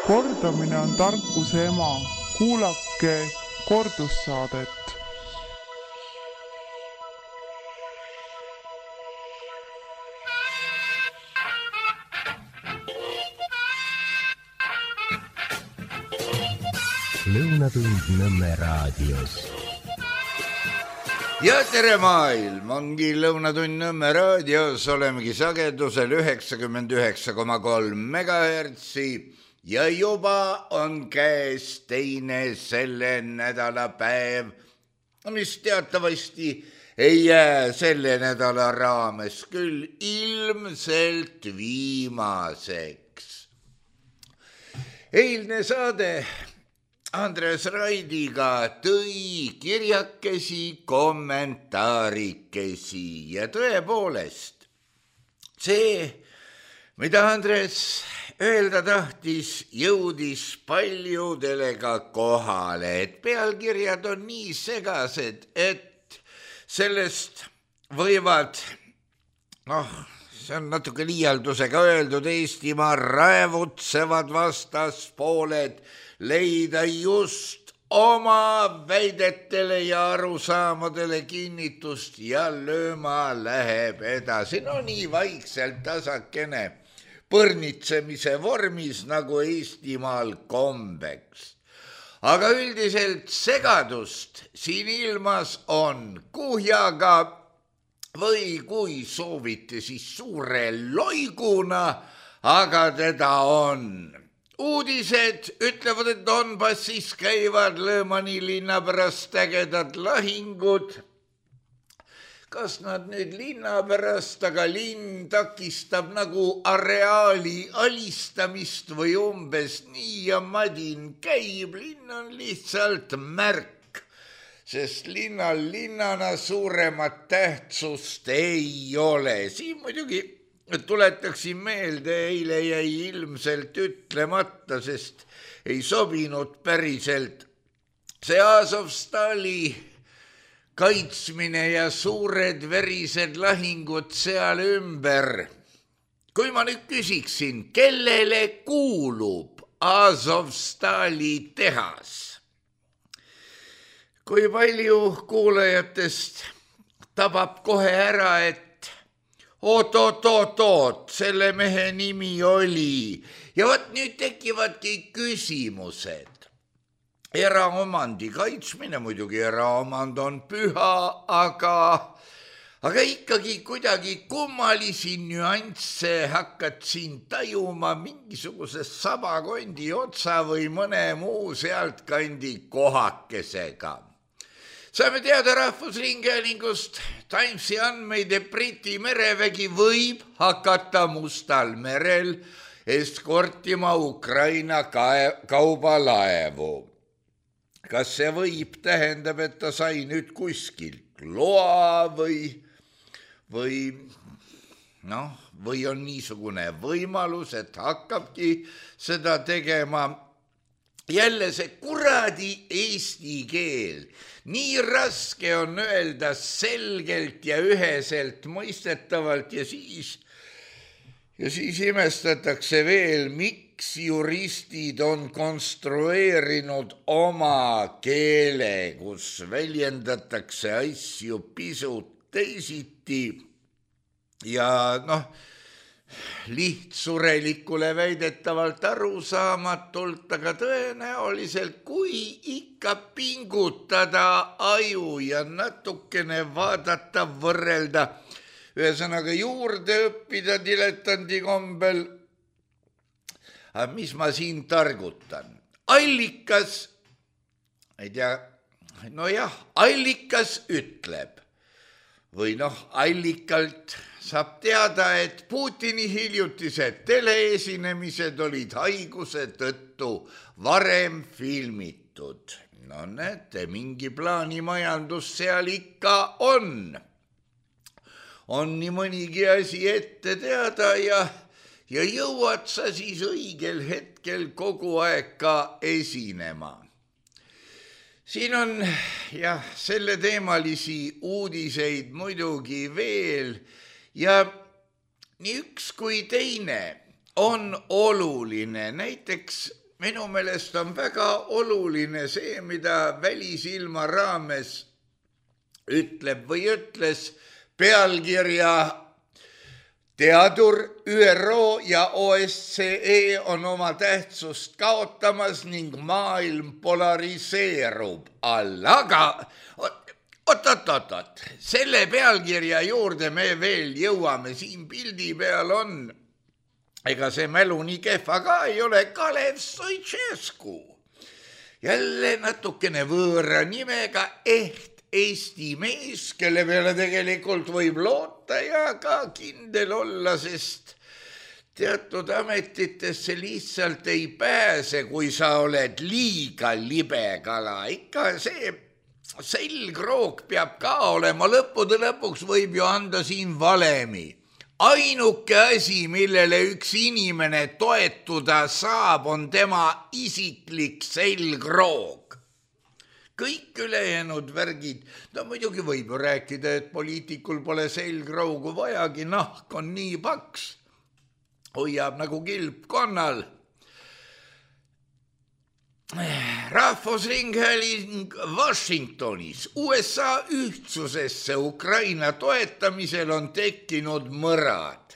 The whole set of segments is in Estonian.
Kordamine on tarkuse ema. Kuulake kordussaadet. Lõunatund Nõmme raadios. Ja tere maailm, ongi Lõunatund Nõmme raadios, olemegi sagedusel 99,3 megahertsi ja juba on käes teine selle nädala päev, mis teatavasti ei jää selle nädala raames küll ilmselt viimaseks. Eilne saade Andres Raidiga tõi kirjakesi, kommentaarikesi ja tõepoolest see, mida Andres öelda tahtis, jõudis paljudele ka kohale, et pealkirjad on nii segased, et sellest võivad, see on natuke liialdusega öeldud, Eestimaa raevutsevad vastaspooled leida just oma väidetele ja arusaamadele kinnitust ja lööma läheb edasi. No nii vaikselt tasakene põrnitsemise vormis nagu Eestimaal kombeks. Aga üldiselt segadust siin ilmas on kuhjaga või kui soovite, siis suure loiguna, aga teda on. Uudised ütlevad, et Donbassis käivad Lõõmani linna pärast ägedad lahingud. Kas nad nüüd linna pärast, aga linn takistab nagu areaali alistamist või umbes nii ja madin käib. Linn on lihtsalt märk, sest linnal linnana suuremat tähtsust ei ole. Siin muidugi tuletaksin meelde, eile jäi ilmselt ütlemata, sest ei sobinud päriselt see Azovstali kaitsmine ja suured verised lahingud seal ümber. Kui ma nüüd küsiksin, kellele kuulub Azovstali tehas? Kui palju kuulajatest tabab kohe ära, et oot, selle mehe nimi oli. Ja võt nüüd tekivadki küsimused. Eraomandi kaitsmine, muidugi eraomand on püha, aga ikkagi kuidagi kummalisi nüansse hakkad siin tajuma mingisuguse sabakondi otsa või mõne muu sealtkandi kohakesega. Saame teada Rahvusringhäälingust Timesi andmeid, et Briti merevägi võib hakata Mustal merel eskortima Ukraina kaubalaevu. Kas see võib tähendab, et ta sai nüüd kuskilt loa või on niisugune võimalus, et hakkabki seda tegema? Jälle see kuradi eesti keel. Nii raske on öelda selgelt ja üheselt mõistetavalt ja siis imestatakse veel, miks juristid on konstrueerinud oma keele, kus väljendatakse asju pisut teisiti ja lihtsurelikule väidetavalt arusaamatult, aga tõenäoliselt, kui ikka pingutada aju ja natukene vaadata, võrrelda, ühesõnaga juurde õppida diletandi kombel. Mis ma siin targutan? Allikas, ei tea, allikas ütleb või allikalt saab teada, et Putini hiljutised teleesinemised olid haiguse tõttu varem filmitud. No näete, mingi plaanimajandus seal ikka on. On nii mõnigi asi ette teada ja jõuad sa siis õigel hetkel kogu aeg ka esinema. Siin on selle teemalisi uudiseid muidugi veel ja nii üks kui teine on oluline. Näiteks minu meelest on väga oluline see, mida Välisilma raames ütleb või ütles pealkirja teadur ÜRO ja OSCE on oma tähtsust kaotamas ning maailm polariseerub all, aga oot, selle pealkirja juurde me veel jõuame, siin pildi peal on, ega see mälu nii kehva ka ei ole, Kalev Stoicescu. Jälle natukene võõra nimega Eesti mees, kelle peale tegelikult võib loota ja ka kindel olla, sest teatud ametitesse lihtsalt ei pääse, kui sa oled liiga libe kala. Ikka see selgroog peab ka olema, lõppude lõpuks võib ju anda siin valemi. Ainuke asi, millele üks inimene toetuda saab, on tema isiklik selgroog. Kõik ülejäänud värgid, no muidugi võib ju rääkida, et poliitikul pole selgroogu vajagi, nahk on nii paks, hoiab nagu kilp konnal. Rahvusringhääling Washingtonis USA ühtsusesse Ukraina toetamisel on tekkinud mõrad.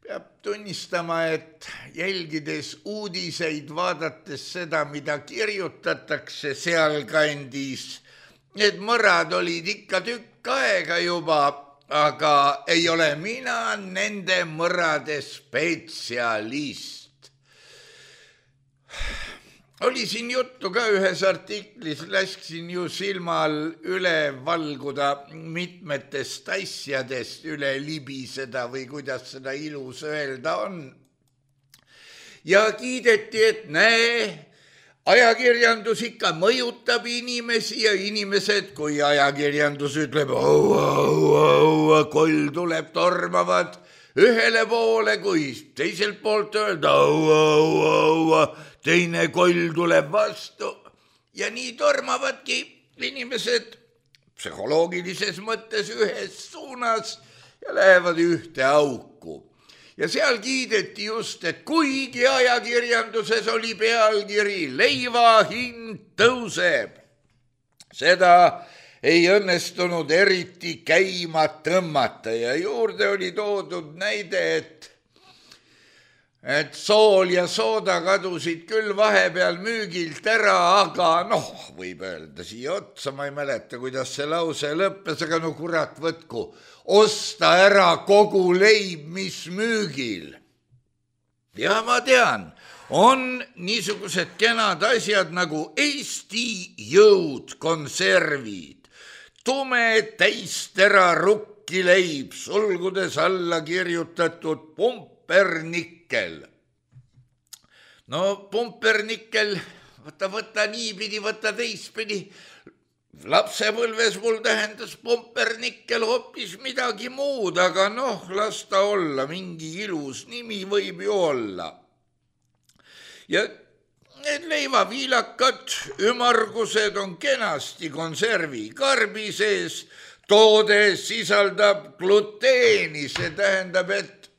Peab tunnistama, et jälgides uudiseid, vaadates seda, mida kirjutatakse sealkandis, need mõrad olid ikka tükk aega juba, aga ei ole mina nende mõrade spetsialist. Oli siin juttu ka ühes artiklis, lasksin ju silmal üle valguda mitmetest asjadest, üle libiseda või kuidas seda ilus öelda on. Ja kiideti, et näe, ajakirjandus ikka mõjutab inimesi ja inimesed, kui ajakirjandus ütleb, koll tuleb, tormavad ühele poole, kui teiselt poolt öelda, teine koll tuleb vastu ja nii tormavadki inimesed psühholoogilises mõttes ühes suunas ja lähevad ühte auku. Ja seal kiideti just, et kuigi ajakirjanduses oli pealkiri leiva hind tõuseb, seda ei õnnestunud eriti käima tõmmata ja juurde oli toodud näide, et sool ja sooda kadusid küll vahepeal müügilt ära, aga võib öelda siia otsa, ma ei mäleta, kuidas see lause lõppes, aga kurat võtku, osta ära kogu leib, mis müügil. Ja ma tean, on niisugused kenad asjad nagu Eesti Jõud konservid, tume täistera rukkileib, sulgudes alla kirjutatud pumpernikkel. Pumpernikkel, võta niipidi, võta teistpidi. Lapsepõlves mul tähendas pumpernikkel hoopis midagi muud, aga las ta olla, mingi ilus nimi võib ju olla. Ja need leivaviilakad, ümargused on kenasti konservi karbi sees, toode sisaldab gluteeni, see tähendab, et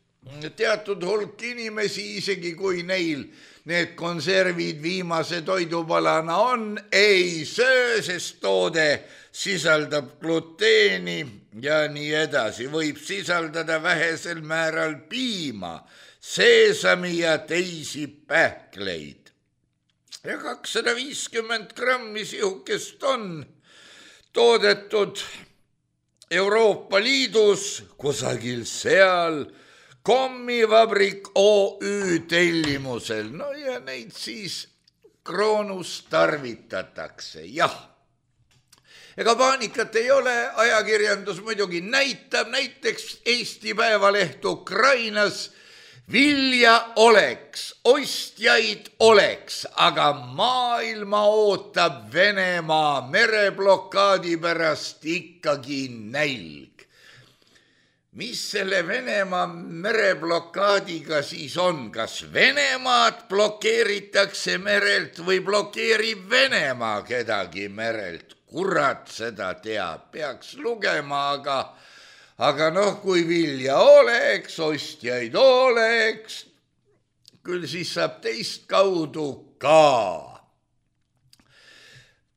teatud hulk inimesi, isegi kui neil need konservid viimase toidupalana on, ei söö, sest toode sisaldab gluteeni ja nii edasi. Võib sisaldada vähesel määral piima, seesami ja teisi pähkleid. Ja 250 grammi sihukest on toodetud Euroopa Liidus kusagil seal Kommivabrik OÜ tellimusel. Ja neid siis Kroonus tarvitatakse, jah. Ega paanikat ei ole, ajakirjandus muidugi näitab, näiteks Eesti Päevaleht Ukrainas, vilja oleks, ostjaid oleks, aga maailma ootab Venemaa mereblokaadi pärast ikkagi nälg. Mis selle Venemaa mereblokaadiga siis on? Kas Venemaad blokeeritakse merelt või blokeerib Venemaa kedagi merelt? Kurat seda teab, peaks lugema, aga kui vilja oleks, ostjaid oleks, küll siis saab teist kaudu ka.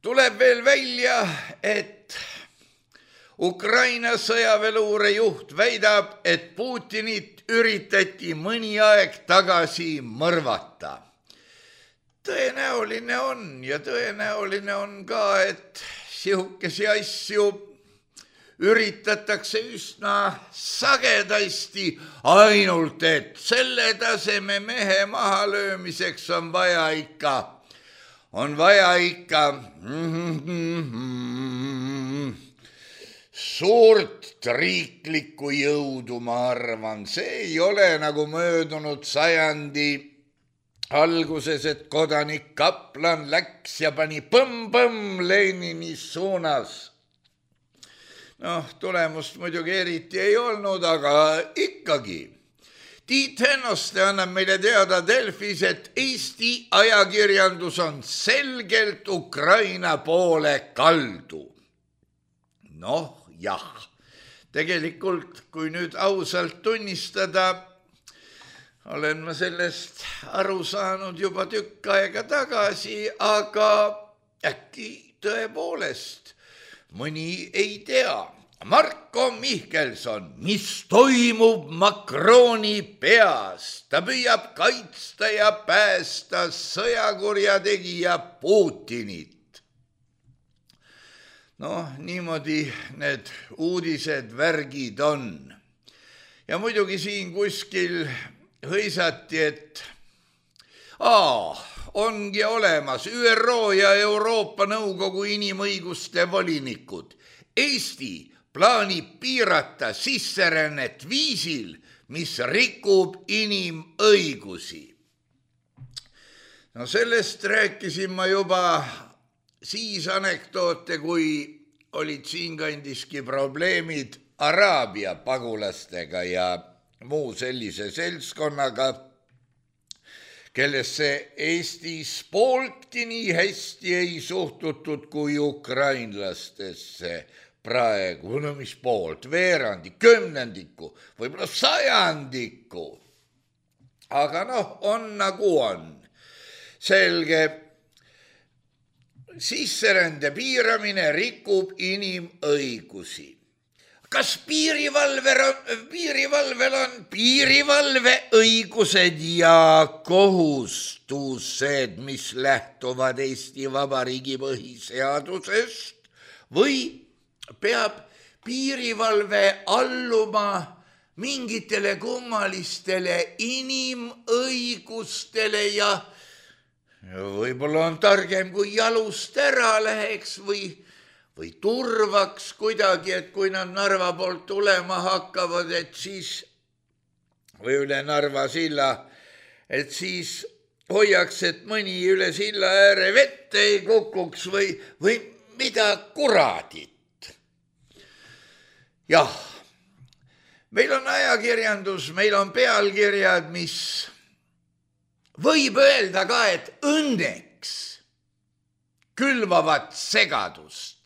Tuleb veel välja, et Ukraina sõjaväeluure juht väidab, et Putinit üritati mõni aeg tagasi mõrvata. Tõenäoline on ja tõenäoline on ka, et sihukesi asju üritatakse üsna sagedasti, ainult et selle taseme mehe mahalöömiseks on vaja ikka suurt riiklikku jõudu, ma arvan. See ei ole nagu möödunud sajandi alguses, et kodanik Kaplan läks ja pani põmm-põmm Lenini suunas. Tulemust muidugi eriti ei olnud, aga ikkagi. Tiit Hennoste annab meile teada Delfis, et Eesti ajakirjandus on selgelt Ukraina poole kaldu. Jah, tegelikult kui nüüd ausalt tunnistada, olen ma sellest aru saanud juba tükk aega tagasi, aga äkki tõepoolest mõni ei tea. Marko Mihkelson, mis toimub Macroni peas? Ta püüab kaitsta ja päästa sõjakurjategija Putinit. Niimoodi need uudised, värgid on. Ja muidugi siin kuskil hõisati, et ongi olemas ÜRO ja Euroopa Nõukogu inimõiguste volinikud. Eesti plaanib piirata sisserännet viisil, mis rikub inimõigusi. Sellest rääkisin ma juba siis anekdoote, kui olid siinkandiski probleemid Araabia pagulastega ja muu sellise seltskonnaga, kellesse Eestis pooltki nii hästi ei suhtutud kui ukrainlastesse praegu. Mis poolt? Veerandi, kümnendiku, võib-olla sajandiku. Aga on nagu on. Selge. Sisserände piiramine rikub inimõigusi. Kas piirivalvel on piirivalveõigused ja kohustused, mis lähtuvad Eesti Vabariigi põhiseadusest, või peab piirivalve alluma mingitele kummalistele inimõigustele ja võib-olla on targem, kui jalust ära läheks või turvaks kuidagi, et kui nad Narva poolt tulema hakkavad, et siis, või üle Narva silla, et siis hoiaks, et mõni üle silla ääre vette ei kukuks või mida kuradit. Jah, meil on ajakirjandus, meil on pealkirjad, mis võib öelda ka, et õnneks külvavad segadust,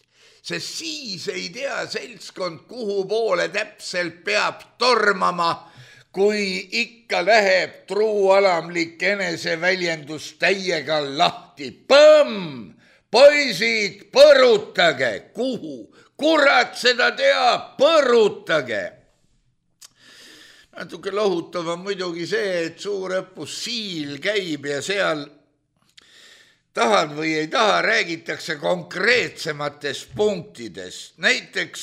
sest siis ei tea seltskond, kuhu poole täpselt peab tormama, kui ikka läheb truualamlik eneseväljendus täiega lahti. Põmm! Poisid, põrutage! Kuhu? Kurat seda teab, põrutage! Natuke lohutav on muidugi see, et suurõppus Siil käib ja seal tahad või ei taha, räägitakse konkreetsematest punktidest. Näiteks,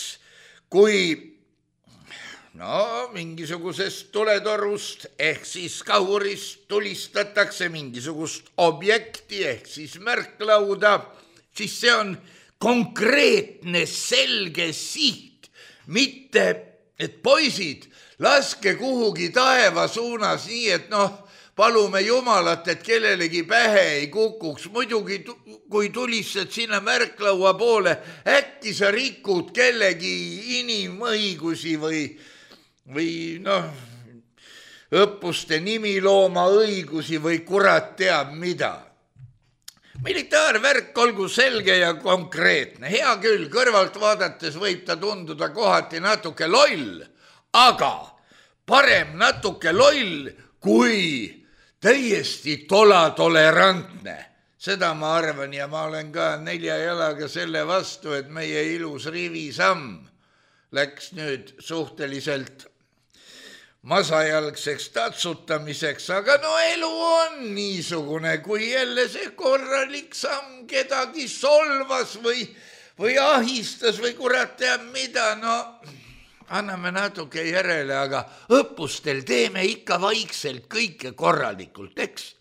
kui mingisugusest tuletorust ehk siis kahurist tulistatakse mingisugust objekti ehk siis märklauda, siis see on konkreetne selge siht, mitte et poisid, laske kuhugi taeva suunas nii, et palume Jumalat, et kellelegi pähe ei kukuks. Muidugi, kui tulistad sinna märklaua poole, äkki sa rikud kellegi inimõigusi või õppuste nimilooma õigusi või kurat teab mida. Militaarvärk olgu selge ja konkreetne. Hea küll, kõrvalt vaadates võib ta tunduda kohati natuke loll, aga parem natuke loll kui täiesti tolerantne. Seda ma arvan ja ma olen ka 4 jalaga selle vastu, et meie ilus rivisamm läks nüüd suhteliselt masajalgseks tatsutamiseks, aga no elu on niisugune, kui jälle see korralik samm kedagi solvas või ahistas või kurat teab mida, no anname natuke järele, aga õppustel teeme ikka vaikselt kõike korralikult, eks?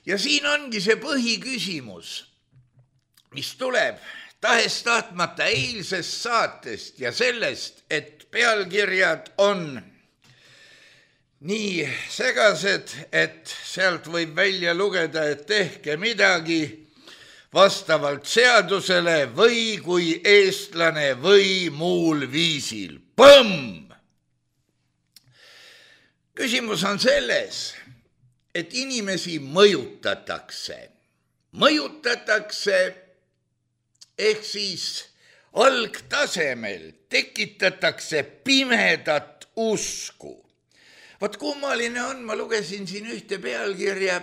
Ja siin ongi see põhiküsimus, mis tuleb tahes-tahtmata eilsest saatest ja sellest, et pealkirjad on nii segased, et sealt võib välja lugeda, et tehke midagi vastavalt seadusele või kui eestlane või muul viisil. Põmm! Küsimus on selles, et inimesi mõjutatakse ehk siis algtasemel tekitatakse pimedat usku. Vaat kummaline on, ma lugesin siin ühte pealkirja,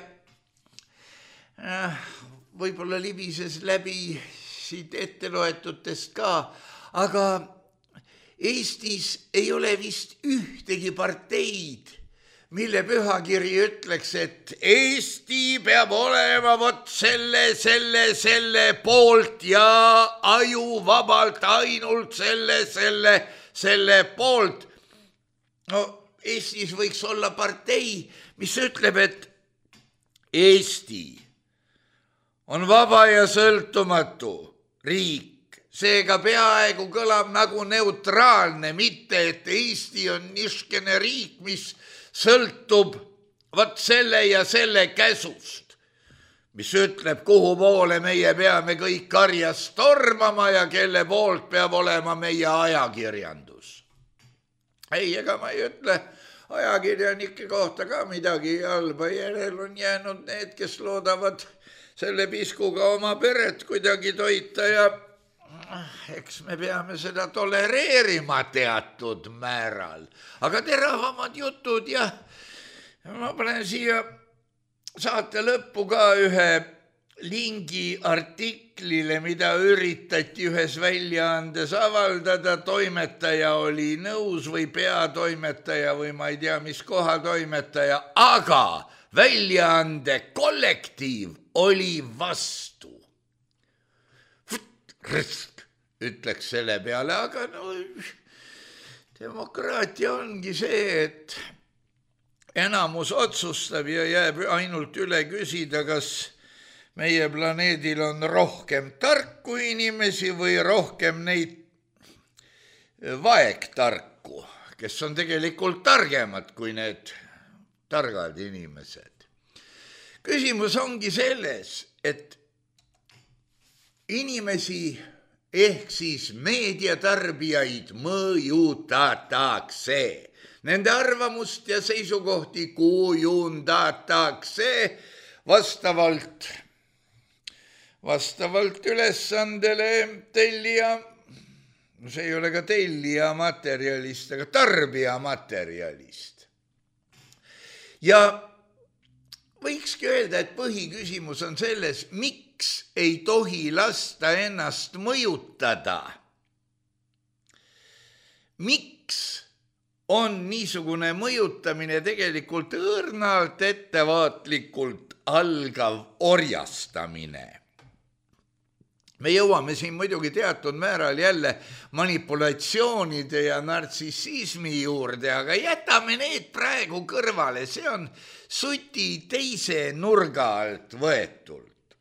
võib-olla libises läbi siit etteloetutest ka, aga Eestis ei ole vist ühtegi parteid, mille pühakiri ütleks, et Eesti peab olema vot selle poolt ja ajuvabalt ainult selle poolt. No Eestis võiks olla partei, mis ütleb, et Eesti on vaba ja sõltumatu riik, seega peaaegu kõlab nagu neutraalne, mitte et Eesti on niisugune riik, mis sõltub vot selle ja selle käsust, mis ütleb, kuhu poole meie peame kõik karjas tormama ja kelle poolt peab olema meie ajakirjandus. Ei, ega ma ei ütle ajakirjanike kohta ka midagi halba, järel on jäänud need, kes loodavad selle piskuga oma peret kuidagi toita ja eks me peame seda tolereerima teatud määral, aga teravamad jutud ja ma panen siia saate lõppu ka ühe lingi artiklile, mida üritati ühes väljaandes avaldada, toimetaja oli nõus või peatoimetaja või ma ei tea, mis kohatoimetaja, aga väljaande kollektiiv oli vastu. Ütleks selle peale, aga no demokraatia ongi see, et enamus otsustab ja jääb ainult üle küsida, kas meie planeedil on rohkem tarku inimesi või rohkem neid vaegtarku, kes on tegelikult targemad kui need targad inimesed. Küsimus ongi selles, et inimesi ehk siis meediatarbijaid mõjutatakse. Nende arvamust ja seisukohti kujundatakse vastavalt ülesandele tellija, no see ei ole ka tellija materjalist, aga tarbija materjalist. Ja võikski öelda, et põhiküsimus on selles, miks ei tohi lasta ennast mõjutada. Miks on niisugune mõjutamine tegelikult õrnalt ettevaatlikult algav orjastamine? Me jõuame siin muidugi teatud määral jälle manipulatsioonide ja nartsissismi juurde, aga jätame need praegu kõrvale, see on suti teise nurga alt võetult.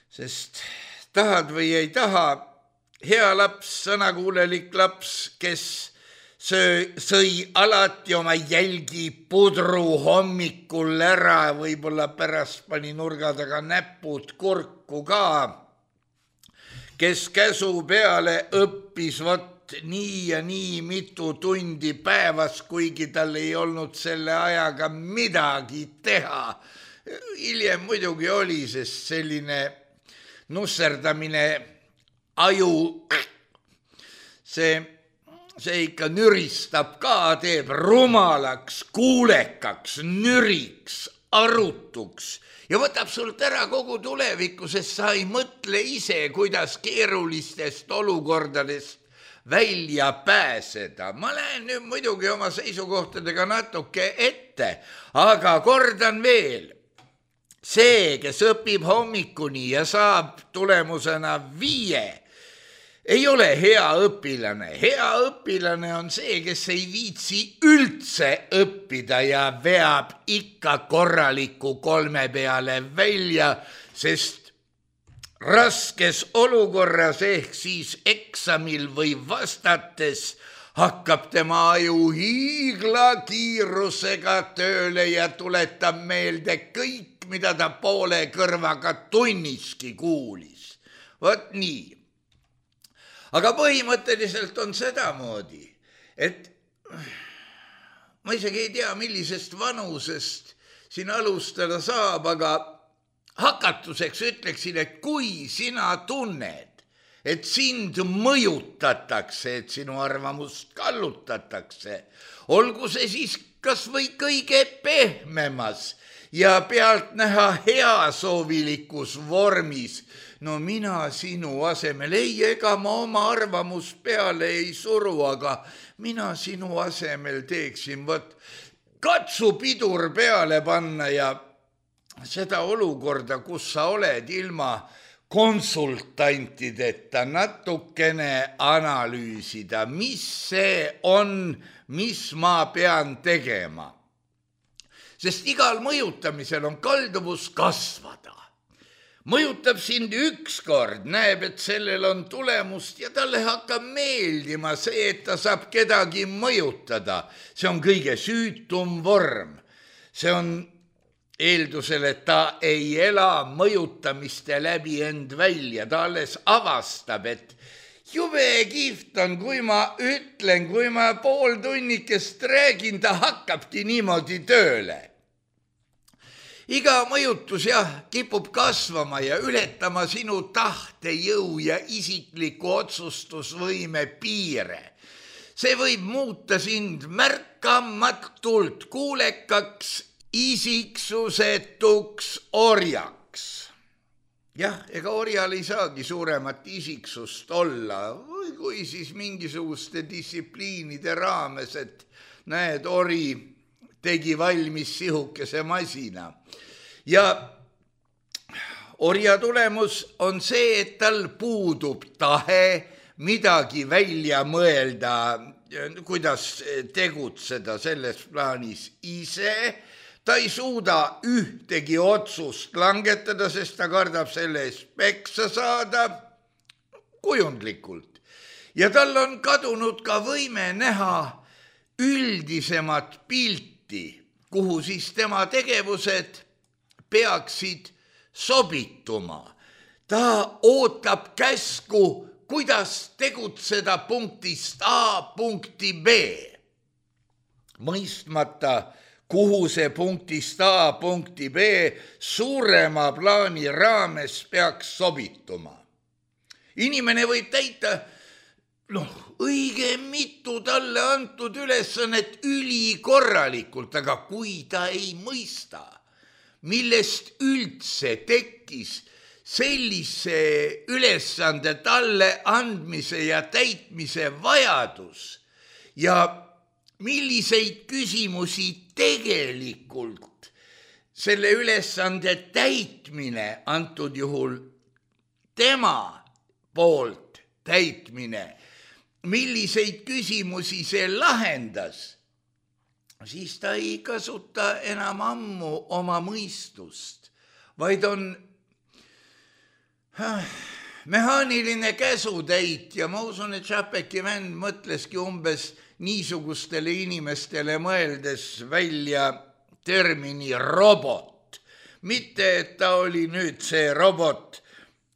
Sest tahad või ei taha, hea laps, sõnakuulelik laps, kes sõi alati oma jälgi pudru hommikul ära, võib-olla pärast pani nurga taga näpud kurku ka, kes käsu peale õppis vot nii ja nii mitu tundi päevas, kuigi tal ei olnud selle ajaga midagi teha. Hiljem muidugi oli, sest selline nusserdamine aju, see see ikka nüristab ka, teeb rumalaks, kuulekaks, nüriks, arutuks ja võtab sult ära kogu tulevikku, sest sa ei mõtle ise, kuidas keerulistest olukordadest välja pääseda. Ma lähen nüüd muidugi oma seisukohtadega natuke ette, aga kordan veel, see, kes õpib hommikuni ja saab tulemusena 5, ei ole hea õpilane. Hea õpilane on see, kes ei viitsi üldse õppida ja veab ikka korraliku 3 peale välja, sest raskes olukorras ehk siis eksamil või vastates hakkab tema aju hiiglakiirusega tööle ja tuletab meelde kõik, mida ta poole kõrvaga tunniski kuulis. Vot nii. Aga põhimõtteliselt on sedamoodi, et ma isegi ei tea, millisest vanusest siin alustada saab, aga hakatuseks ütleksin, et kui sina tunned, et sind mõjutatakse, et sinu arvamust kallutatakse, olgu see siis kas või kõige pehmemas ja pealtnäha heasoovilikus vormis, no mina sinu asemel, ei, ega ma oma arvamust peale ei suru, aga mina sinu asemel teeksin, võt, katsu pidur peale panna ja seda olukorda, kus sa oled ilma konsultantideta natukene analüüsida, mis see on, mis ma pean tegema. Sest igal mõjutamisel on kalduvus kasvada. Mõjutab sind ükskord, näeb, et sellel on tulemust ja talle hakkab meeldima see, et ta saab kedagi mõjutada. See on kõige süütum vorm. See on eeldusel, et ta ei ela mõjutamiste läbi end välja. Ta alles avastab, et jube kihvt on, kui ma ütlen, kui ma pool tunnikest räägin, ta hakkabki niimoodi tööle. Iga mõjutus kipub kasvama ja ületama sinu tahtejõu ja isikliku otsustusvõime piire. See võib muuta sind märkamatult kuulekaks, isiksusetuks orjaks. Jah, ega orjal ei saagi suuremat isiksust olla, või kui siis mingisuguste distsipliinide raames, et näed, ori tegi valmis sihukese masina. Ja orja tulemus on see, et tal puudub tahe midagi välja mõelda, kuidas tegutseda selles plaanis ise. Ta ei suuda ühtegi otsust langetada, sest ta kardab selle eest peksa saada kujundlikult. Ja tal on kadunud ka võime näha üldisemat pilti, kuhu siis tema tegevused peaksid sobituma. Ta ootab käsku, kuidas tegutseda punktist A punkti B. Mõistmata, kuhu see punktist A punkti B suurema plaani raames peaks sobituma. Inimene võib täita õige mitu talle antud ülesannet ülikorralikult, aga kui ta ei mõista, millest üldse tekkis sellise ülesande talle andmise ja täitmise vajadus ja milliseid küsimusi tegelikult selle ülesande täitmine, antud juhul tema poolt täitmine, milliseid küsimusi see lahendas, siis ta ei kasuta enam ammu oma mõistust, vaid on mehaaniline käsutäitja. Ma usun, et Chapeki vend mõtleski umbes niisugustele inimestele mõeldes välja termini robot. Mitte, et ta oli nüüd see robot,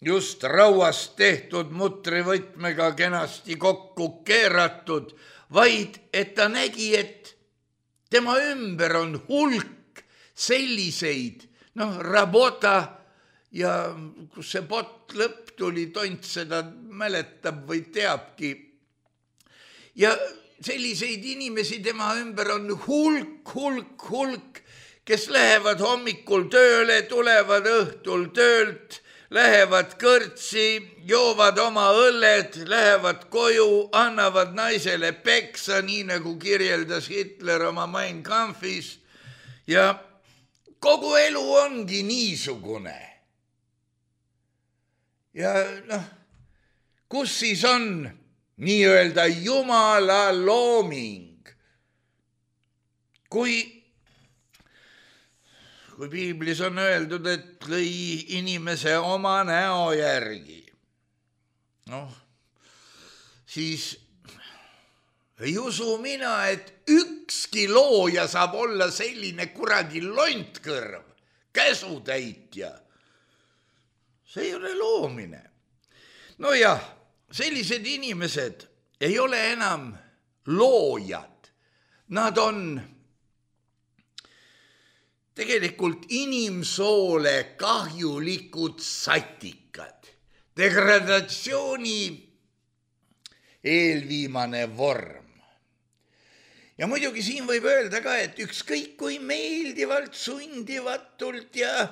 just rauast tehtud mutrivõtmega kenasti kokku keeratud, vaid et ta nägi, et tema ümber on hulk selliseid, rabota ja kus see bot lõpp tuli, tont seda mäletab või teabki. ja selliseid inimesi tema ümber on hulk, kes lähevad hommikul tööle, tulevad õhtul töölt, lähevad kõrtsi, joovad oma õlled, lähevad koju, annavad naisele peksa, nii nagu kirjeldas Hitler oma Mein Kampfis. Ja kogu elu ongi niisugune. Ja kus siis on nii-öelda Jumala looming? Kui piiblis on öeldud, et lõi inimese oma näo järgi, siis ei usu mina, et ükski looja saab olla selline kuradi lontkõrv, käsutäitja. See ei ole loomine. No jah, sellised inimesed ei ole enam loojad. Nad on tegelikult inimsoole kahjulikud satikad. Degradatsiooni eelviimane vorm. Ja muidugi siin võib öelda ka, et ükskõik kui meeldivalt, sundivatult ja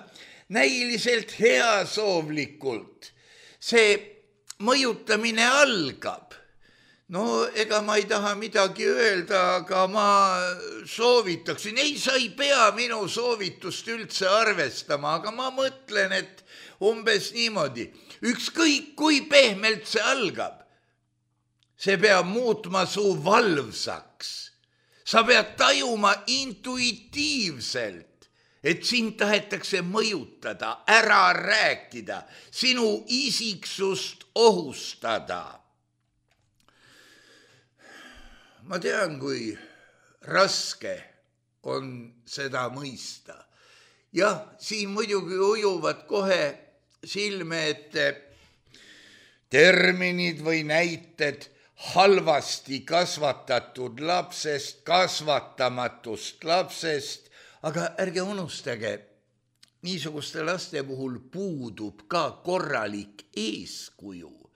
näiliselt heasoovlikult see mõjutamine algab. No ega ma ei taha midagi öelda, aga ma soovitaksin. Ei, sa ei pea minu soovitust üldse arvestama, aga ma mõtlen, et umbes niimoodi. Ükskõik kui pehmelt see algab, see peab muutma su valvsaks. Sa pead tajuma intuitiivselt, et sind tahetakse mõjutada, ära rääkida, sinu isiksust ohustada. Ma tean, kui raske on seda mõista. Jah, siin muidugi ujuvad kohe silme ette terminid või näited halvasti kasvatatud lapsest, kasvatamatust lapsest, aga ärge unustage, niisuguste laste puhul puudub ka korralik eeskuju,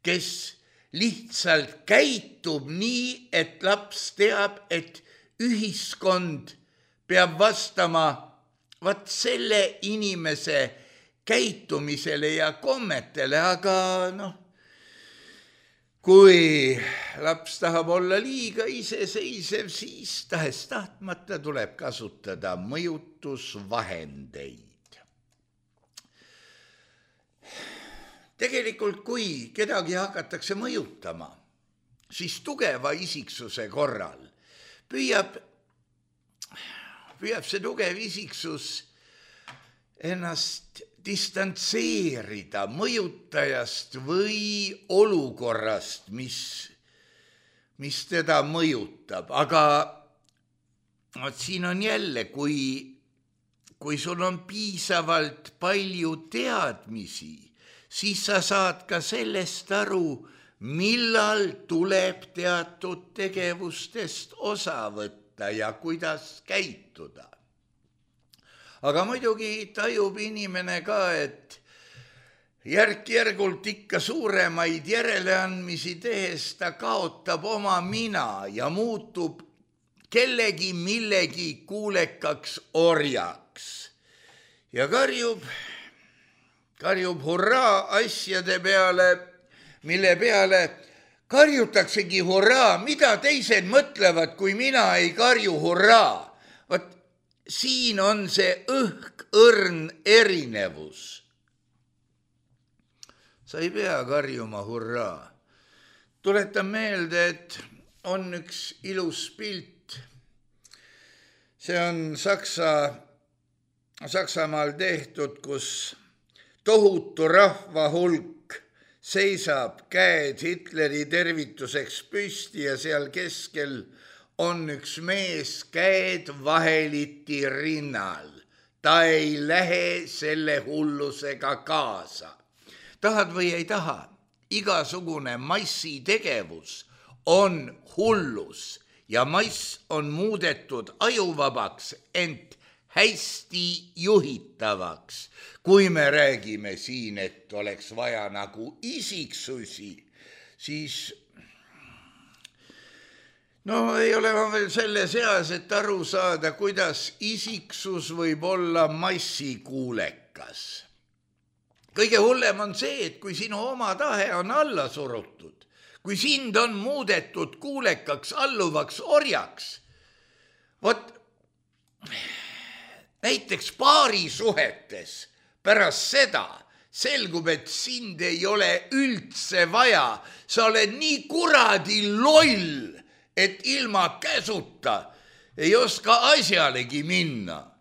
kes lihtsalt käitub nii, et laps teab, et ühiskond peab vastama vaat selle inimese käitumisele ja kommetele, aga kui laps tahab olla liiga iseseisev, siis tahes tahtmata tuleb kasutada mõjutusvahendeid. Tegelikult, kui kedagi hakatakse mõjutama, siis tugeva isiksuse korral püüab see tugev isiksus ennast distantseerida mõjutajast või olukorrast, mis teda mõjutab. Aga siin on jälle, kui sul on piisavalt palju teadmisi, siis sa saad ka sellest aru, millal tuleb teatud tegevustest osa võtta ja kuidas käituda. Aga muidugi tajub inimene ka, et järk-järgult ikka suuremaid järeleandmisi tehes ta kaotab oma mina ja muutub kellegi millegi kuulekaks orjaks ja karjub hurraa asjade peale, mille peale karjutaksegi hurraa, mida teised mõtlevad, kui mina ei karju hurraa. Vaat siin on see õrn erinevus. Sa ei pea karjuma hurraa. Tuletan meelde, et on üks ilus pilt. See on Saksamaal tehtud, kus tohutu rahva hulk seisab käed Hitleri tervituseks püsti ja seal keskel on üks mees käed vaheliti rinnal. Ta ei lähe selle hullusega kaasa. Tahad või ei taha, igasugune massitegevus on hullus ja mass on muudetud ajuvabaks, ent hästi juhitavaks. Kui me räägime siin, et oleks vaja nagu isiksusi, siis No ei ole ma veel selle seas, et aru saada, kuidas isiksus võib olla massikuulekas. Kõige hullem on see, et kui sinu oma tahe on alla surutud, kui sind on muudetud kuulekaks, alluvaks orjaks, vot näiteks paarisuhetes pärast seda selgub, et sind ei ole üldse vaja, sa oled nii kuradi loll, et ilma käsuta ei oska asjalegi minna.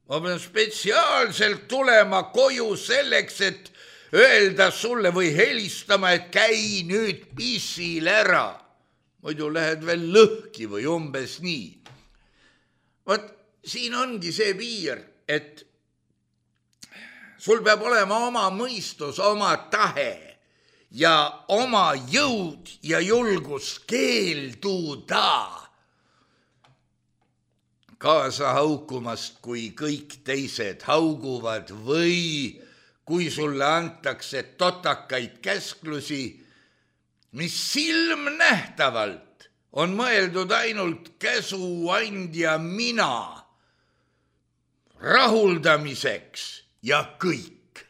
Ma pean spetsiaalselt tulema koju selleks, et öelda sulle või helistama, et käi nüüd pissil ära. Muidu lähed veel lõhki või umbes nii. Vot siin ongi see piir, et sul peab olema oma mõistus, oma tahe ja oma jõud ja julgus keelduda kaasa haukumast, kui kõik teised hauguvad või kui sulle antakse totakaid käsklusi, mis silmnähtavalt on mõeldud ainult käsuandja mina rahuldamiseks ja kõik.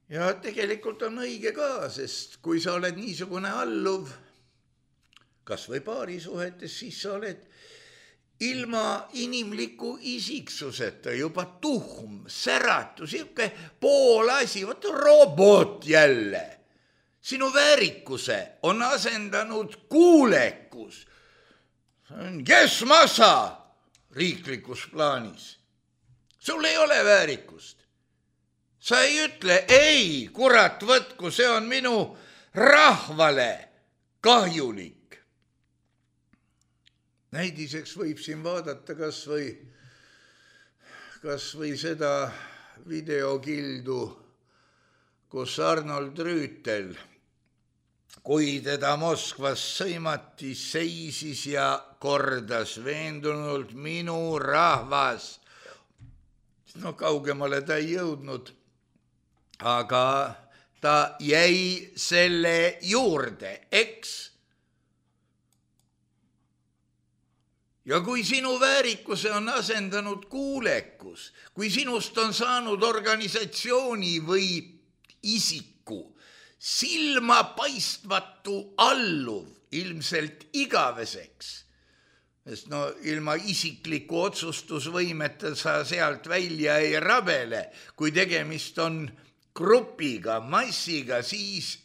Ja tegelikult on õige ka, sest kui sa oled niisugune alluv, kas või paarisuhetes, siis sa oled ilma inimliku isiksuseta juba tuhm, säratu, siuke poolasi, võtta robot jälle. Sinu väärikuse on asendanud kuulekus. Kes massa riiklikus plaanis? Sul ei ole väärikust. Sa ei ütle, ei, kurat võtku, see on minu rahvale kahjulik. Näidiseks võib siin vaadata kas või seda videokildu, kus Arnold Rüütel, kui teda Moskvas sõimati, seisis ja kordas veendunult minu rahvas. No kaugemale ta ei jõudnud, aga ta jäi selle juurde, eks? Ja kui sinu väärikuse on asendanud kuulekus, kui sinust on saanud organisatsiooni või isiku silmapaistvatu alluv ilmselt igaveseks, sest no ilma isikliku otsustusvõimeta sa sealt välja ei rabele, kui tegemist on grupiga, massiga, siis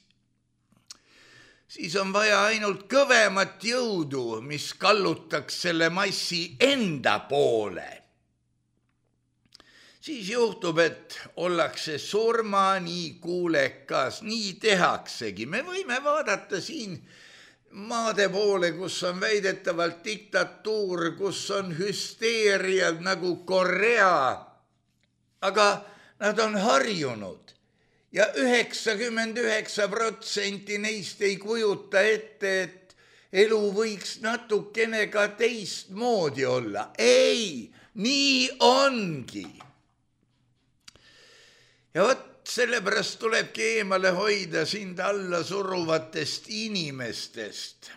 on vaja ainult kõvemat jõudu, mis kallutaks selle massi enda poole. Siis juhtub, et ollakse surmani kuulekas, nii tehaksegi. Me võime vaadata siin maade poole, kus on väidetavalt diktatuur, kus on hüsteeriad nagu Korea, aga nad on harjunud. Ja 99% neist ei kujuta ette, et elu võiks natukene ka teistmoodi olla. Ei, nii ongi. Ja vot sellepärast tulebki eemale hoida sind alla suruvatest inimestest,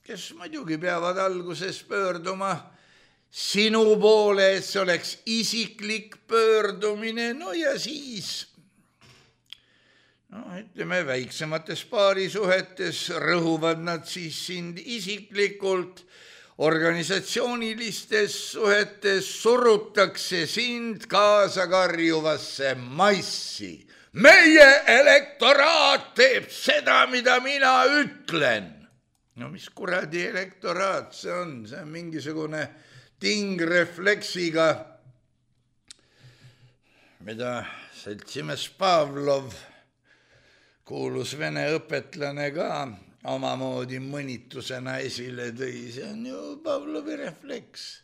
kes muidugi peavad alguses pöörduma sinu poole, et see oleks isiklik pöördumine, no ja siis ütleme, väiksemates paarisuhetes rõhuvad nad siis sind isiklikult, organisatsioonilistes suhetes surutakse sind kaasa karjuvasse massi. Meie elektoraat teeb seda, mida mina ütlen. No mis kuradi elektoraat see on? See on mingisugune tingrefleksiga, mida seltsimees Pavlov, kuulus vene õpetlane ka omamoodi mõnitusena esile tõi. See on ju Pavlovi refleks.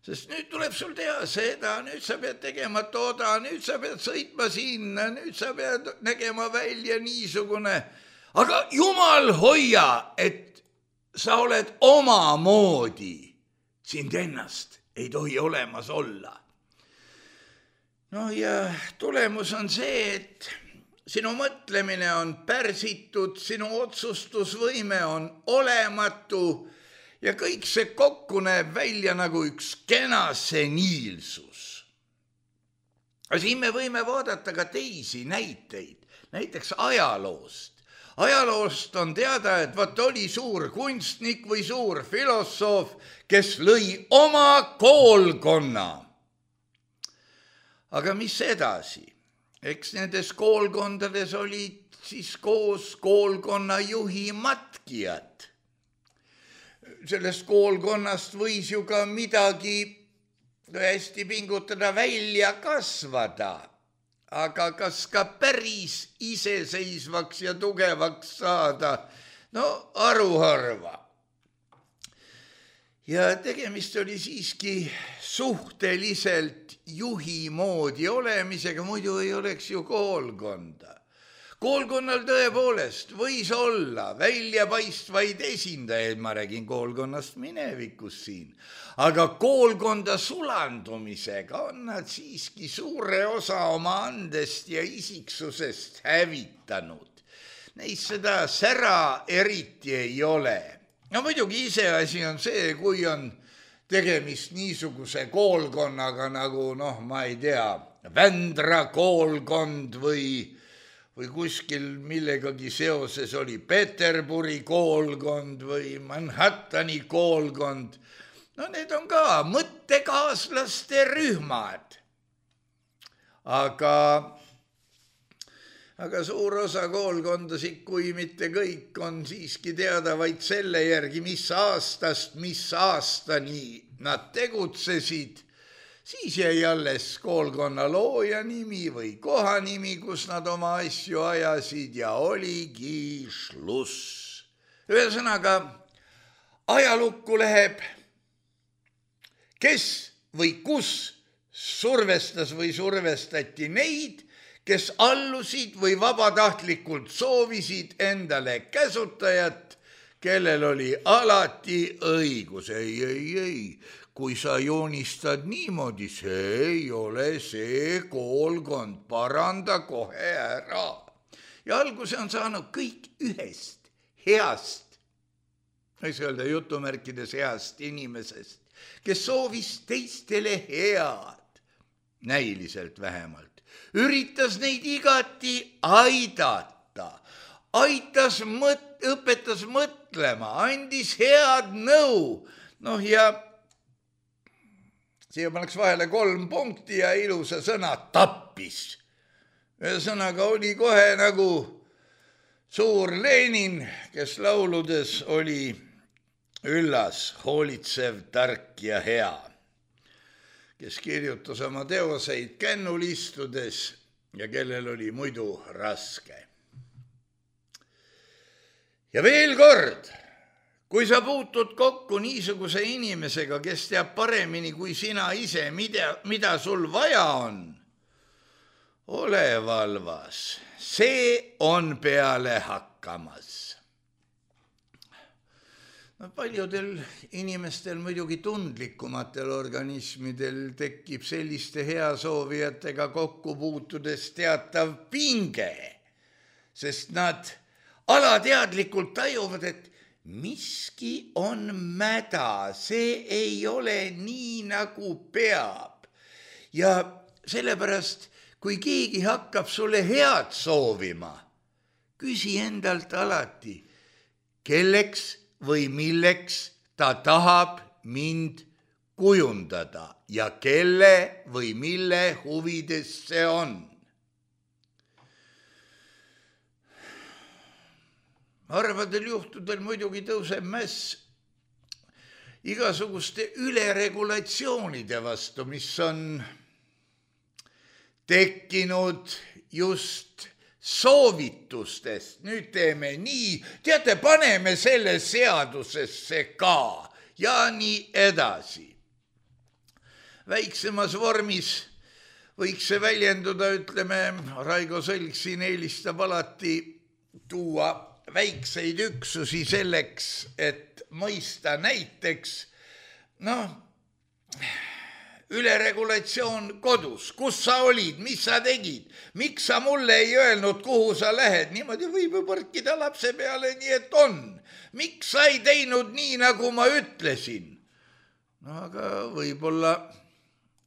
Sest nüüd tuleb sul teha seda, nüüd sa pead tegema toda, nüüd sa pead sõitma sinna, nüüd sa pead nägema välja niisugune. Aga jumal hoia, et sa oled omamoodi. Sind ennast ei tohi olemas olla. No ja tulemus on see, et sinu mõtlemine on pärsitud, sinu otsustusvõime on olematu ja kõik see kokku näeb välja nagu üks kena seniilsus. Aga siin me võime vaadata ka teisi näiteid, näiteks ajaloost. Ajaloost on teada, et oli suur kunstnik või suur filosoof, kes lõi oma koolkonna. Aga mis edasi? Eks nendes koolkondades olid siis koos koolkonna juhi matkijad. Sellest koolkonnast võis ju ka midagi hästi pingutada välja kasvada. Aga kas ka päris iseseisvaks ja tugevaks saada? No aruharva. Ja tegemist oli siiski suhteliselt juhi moodi olemisega, muidu ei oleks ju koolkonda. Koolkonnal tõepoolest võis olla väljapaistvaid esindajaid, ma räägin koolkonnast minevikus siin, aga koolkonda sulandumisega on nad siiski suure osa oma andest ja isiksusest hävitanud. Neis seda sära eriti ei ole. No muidugi iseasi on see, kui on tegemist niisuguse koolkonnaga nagu, ma ei tea, Vändra koolkond või kuskil millegagi seoses oli Peterburi koolkond või Manhattani koolkond. No need on ka mõttekaaslaste rühmad. Aga suur osa koolkondasid, kui mitte kõik, on siiski teada vaid selle järgi, mis aastast, mis aastani nad tegutsesid. Siis jäi alles koolkonna looja nimi või koha nimi, kus nad oma asju ajasid ja oligi šluss. Ühesõnaga, ajalukku läheb, kes või kus survestas või survestati neid, kes allusid või vabatahtlikult soovisid endale käsutajat, kellel oli alati õigus. Ei. Kui sa joonistad niimoodi, see ei ole see koolkond, paranda kohe ära. Ja alguse on saanud kõik ühest heast, võiks öelda jutumärkides heast inimesest, kes soovis teistele head, näiliselt vähemalt. Üritas neid igati aidata, õpetas mõtlema, andis head nõu, ja siia pannaks vahele 3 punkti ja ilusa sõna tappis. Ühesõnaga oli kohe nagu suur Lenin, kes lauludes oli üllas, hoolitsev, tark ja hea, kes kirjutas oma teoseid kännul istudes ja kellel oli muidu raske. Ja veel kord, kui sa puutud kokku niisuguse inimesega, kes teab paremini kui sina ise, mida sul vaja on, ole valvas, see on peale hakkamas. Paljudel inimestel, muidugi tundlikumatel organismidel tekib selliste heasoovijatega kokku puutudes teatav pinge, sest nad alateadlikult tajuvad, et miski on mäda, see ei ole nii, nagu peab. Ja sellepärast, kui keegi hakkab sulle head soovima, küsi endalt alati, kelleks või milleks ta tahab mind kujundada ja kelle või mille huvides see on. Harvadel juhtudel muidugi tõuseb mäss igasuguste üleregulatsioonide vastu, mis on tekkinud just soovitustest. Nüüd teeme nii, teate, paneme selle seadusesse ka ja nii edasi. Väiksemas vormis võiks see väljenduda, ütleme, Raigo Sõlg siin eelistab alati tuua väikseid üksusi selleks, et mõista näiteks, üleregulatsioon kodus, kus sa olid, mis sa tegid, miks sa mulle ei öelnud, kuhu sa lähed, niimoodi võib ju põrkida lapse peale, nii et on. Miks sa ei teinud nii, nagu ma ütlesin? No aga võib-olla,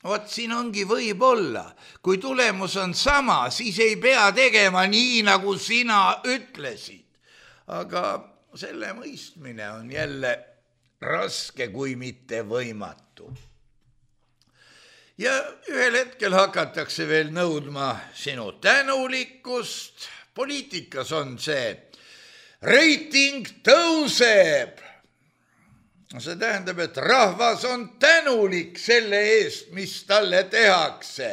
vot siin ongi võib-olla, kui tulemus on sama, siis ei pea tegema nii, nagu sina ütlesid. Aga selle mõistmine on jälle raske, kui mitte võimatu. Ja ühel hetkel hakatakse veel nõudma sinu tänulikkust. Poliitikas on see reiting tõuseb. See tähendab, et rahvas on tänulik selle eest, mis talle tehakse.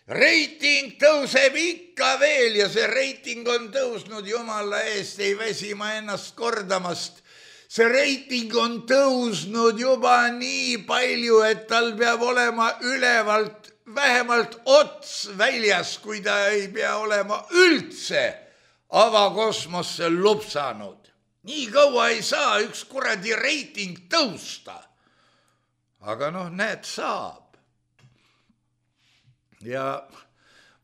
Reiting tõuseb ikka veel ja see reiting on tõusnud, jumala eest, ei väsi ma ennast kordamast. See reiting on tõusnud juba nii palju, et tal peab olema ülevalt vähemalt ots väljas, kui ta ei pea olema üldse avakosmosse lupsanud. Nii kaua ei saa üks kuradi reiting tõusta. Aga näed, saab. Ja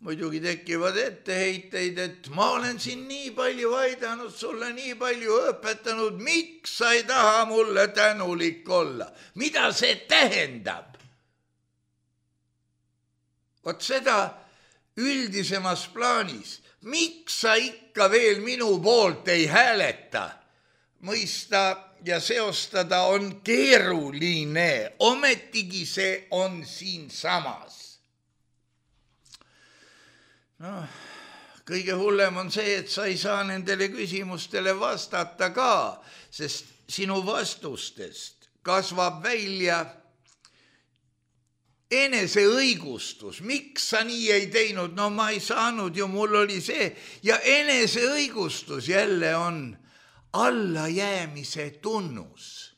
muidugi tekivad etteheiteid, et ma olen siin nii palju aidanud, sulle nii palju õpetanud, miks sa ei taha mulle tänulik olla? Mida see tähendab? Vot seda üldisemas plaanis, miks sa ikka veel minu poolt ei hääleta? Mõista ja seostada on keeruline, ometigi see on siin samas. Kõige hullem on see, et sa ei saa nendele küsimustele vastata ka, sest sinu vastustest kasvab välja eneseõigustus. Miks sa nii ei teinud? No ma ei saanud ju, mul oli see. Ja eneseõigustus jälle on allajäämise tunnus.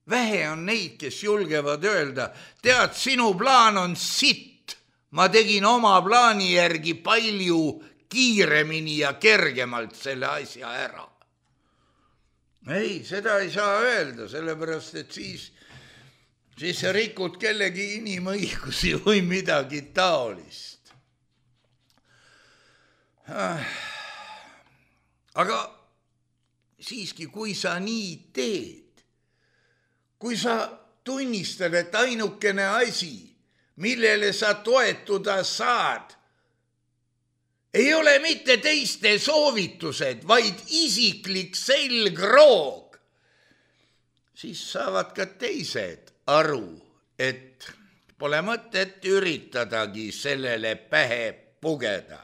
Vähe on neid, kes julgevad öelda, tead, sinu plaan on sitt. Ma tegin oma plaani järgi palju kiiremini ja kergemalt selle asja ära. Ei, seda ei saa öelda, sellepärast, et siis sa rikud kellegi inimõigusi või midagi taolist. Aga siiski, kui sa nii teed, kui sa tunnistad, et ainukene asi, millele sa toetuda saad, ei ole mitte teiste soovitused, vaid isiklik selgroog, siis saavad ka teised aru, et pole mõtet üritadagi sellele pähe pugeda.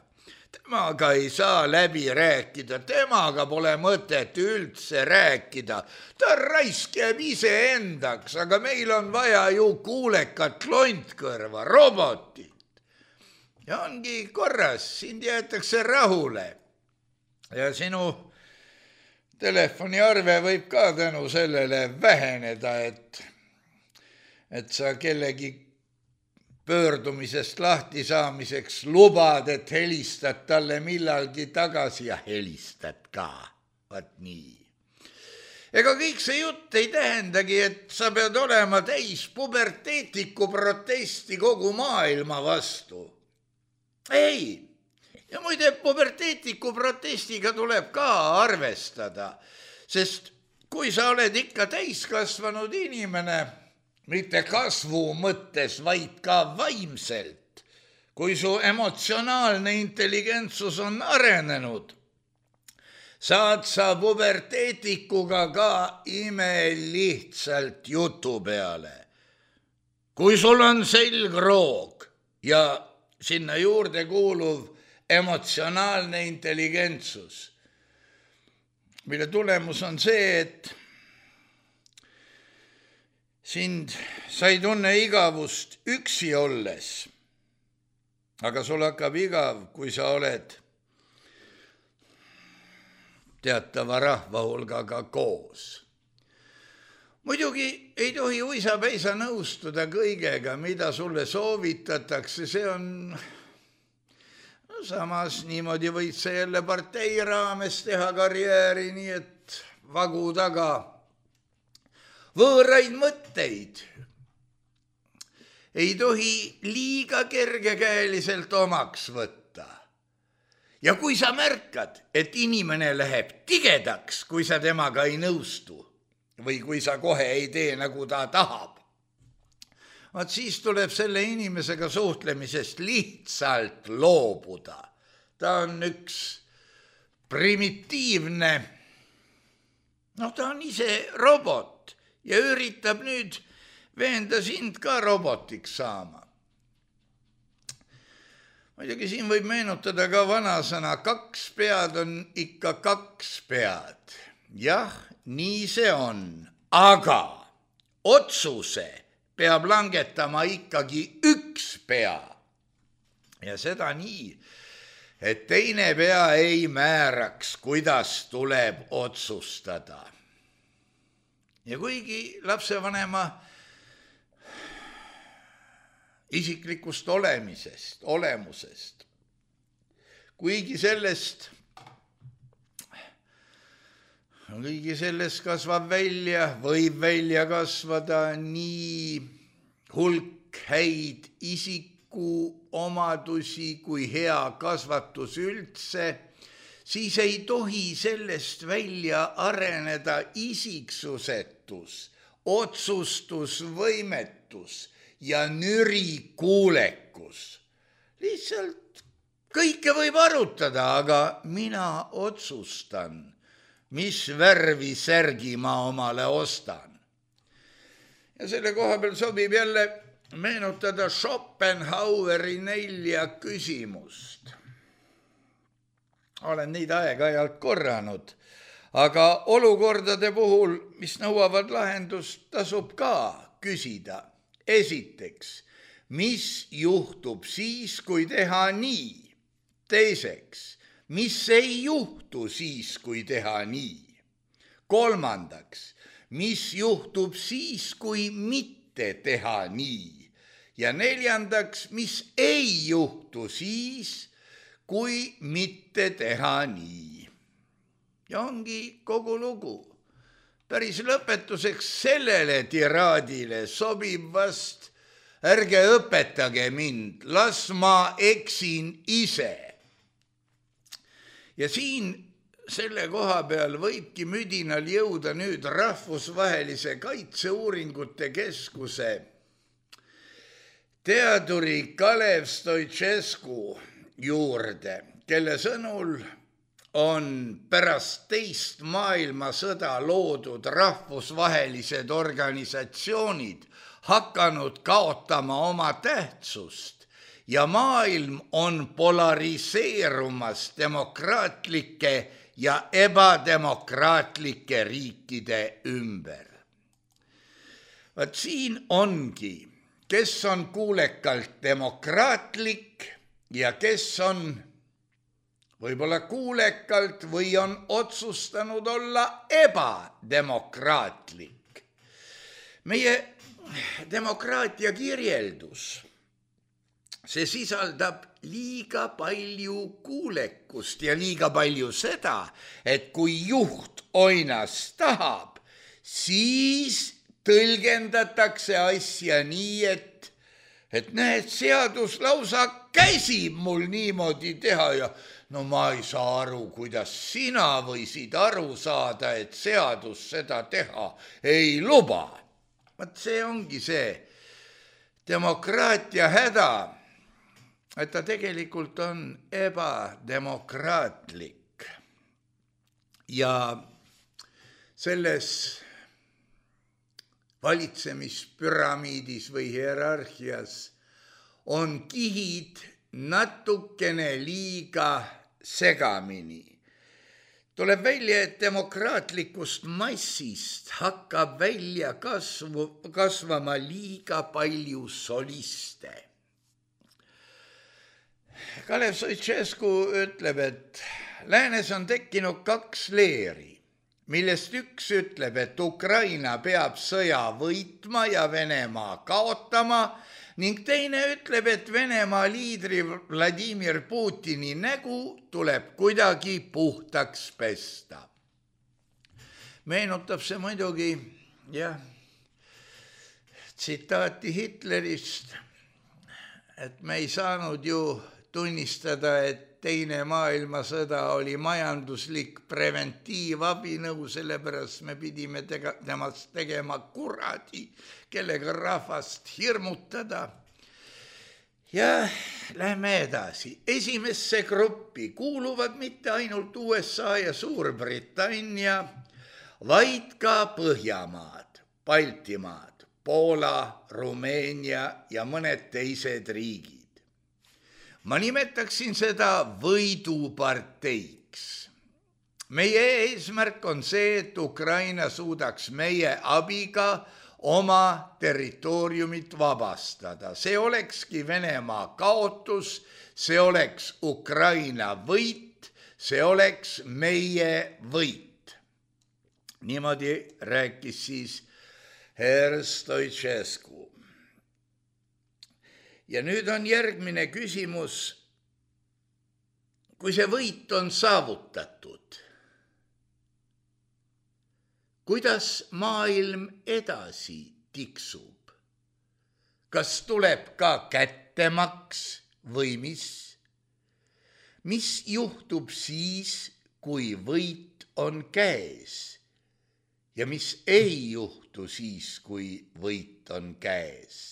Temaga ei saa läbi rääkida, temaga pole mõtet üldse rääkida. Ta raisk jääb ise endaks, aga meil on vaja ju kuulekat lontkõrva, robotit. Ja ongi korras, sind jäetakse rahule. Ja sinu telefoniarve võib ka tänu sellele väheneda, et sa kellegi pöördumisest lahti saamiseks lubad, et helistad talle millalgi tagasi ja helistad ka. Vaat nii. Ega kõik see jutt ei tähendagi, et sa pead olema täis puberteetiku protesti kogu maailma vastu. Ei. Ja muide, puberteetiku protestiga tuleb ka arvestada, sest kui sa oled ikka täiskasvanud inimene, mitte kasvu mõttes, vaid ka vaimselt. Kui su emotsionaalne intelligentsus on arenenud, saad sa puberteetikuga ka imelihtsalt jutu peale. Kui sul on selgroog ja sinna juurde kuuluv emotsionaalne intelligentsus, mille tulemus on see, et sa ei tunne igavust üksi olles, aga sul hakkab igav, kui sa oled teatava rahva hulgaga koos. Muidugi ei tohi uisapäisa nõustuda kõigega, mida sulle soovitatakse, see on samas niimoodi võid sa jälle partei raames teha karjääri, nii et vagu taga võõraid mõtteid ei tohi liiga kergekäeliselt omaks võtta. Ja kui sa märkad, et inimene läheb tigedaks, kui sa temaga ei nõustu või kui sa kohe ei tee, nagu ta tahab, vaat siis tuleb selle inimesega suhtlemisest lihtsalt loobuda. Ta on üks primitiivne, ta on ise robot ja üritab nüüd veenda sind ka robotiks saama. Muidugi siin võib meenutada ka vanasõna, 2 pead on ikka 2 pead. Jah, nii see on, aga otsuse peab langetama ikkagi 1 pea. Ja seda nii, et teine pea ei määraks, kuidas tuleb otsustada. Ja kuigi lapsevanema isiklikust olemusest, kuigi sellest võib välja kasvada nii hulk häid isikuomadusi kui hea kasvatus üldse, siis ei tohi sellest välja areneda isiksusetus, otsustusvõimetus ja nürikuulekus. Lihtsalt kõike võib arutada, aga mina otsustan, mis värvi särgi ma omale ostan. Ja selle koha peal sobib jälle meenutada Schopenhaueri 4 küsimust. Olen neid aeg-ajalt korranud, aga olukordade puhul, mis nõuavad lahendust, tasub ka küsida. Esiteks, mis juhtub siis, kui teha nii? Teiseks, mis ei juhtu siis, kui teha nii? Kolmandaks, mis juhtub siis, kui mitte teha nii? Ja neljandaks, mis ei juhtu siis, kui mitte teha nii? Ja ongi kogu lugu. Päris lõpetuseks sellele tiraadile sobib vast, ärge õpetage mind, las ma eksin ise. Ja siin selle koha peal võibki müdinal jõuda nüüd Rahvusvahelise Kaitseuuringute Keskuse teaduri Kalev Stoicescu juurde, kelle sõnul on pärast 2. maailmasõda loodud rahvusvahelised organisatsioonid hakanud kaotama oma tähtsust ja maailm on polariseerumas demokraatlike ja ebademokraatlike riikide ümber. Vaat siin ongi, kes on kuulekalt demokraatlik ja kes on võib-olla kuulekalt või on otsustanud olla ebademokraatlik. Meie demokraatia kirjeldus, see sisaldab liiga palju kuulekust ja liiga palju seda, et kui juht oinas tahab, siis tõlgendatakse asja nii, et näed, seadus lausa käsib mul niimoodi teha ja no ma ei saa aru, kuidas sina võisid aru saada, et seadus seda teha ei luba. Vaat see ongi see demokraatia häda, et ta tegelikult on ebademokraatlik. Ja selles valitsemispüramiidis või hierarhias on kihid natukene liiga segamini. Tuleb välja, et demokraatlikust massist hakkab välja kasvama liiga palju soliste. Kalev Stoicescu ütleb, et läänes on tekkinud 2 leeri, millest üks ütleb, et Ukraina peab sõja võitma ja Venemaa kaotama, ning teine ütleb, et Venemaa liidri Vladimir Putini nägu tuleb kuidagi puhtaks pesta. Meenutab see muidugi tsitaati Hitlerist, et me ei saanud ju tunnistada, et Teine maailmasõda oli majanduslik preventiivabinõu, sellepärast me pidime temast tegema kuradi, kellega rahvast hirmutada. Ja lähme edasi. Esimesse gruppi kuuluvad mitte ainult USA ja Suurbritannia, vaid ka Põhjamaad, Baltimaad, Poola, Rumeenia ja mõned teised riigid. Ma nimetaksin seda võiduparteiks. Meie eesmärk on see, et Ukraina suudaks meie abiga oma territooriumit vabastada. See olekski Venemaa kaotus, see oleks Ukraina võit, see oleks meie võit. Niimoodi rääkis siis herr Stoicescu. Ja nüüd on järgmine küsimus, kui see võit on saavutatud, kuidas maailm edasi tiksub? Kas tuleb ka kättemaks või mis? Mis juhtub siis, kui võit on käes? Ja mis ei juhtu siis, kui võit on käes?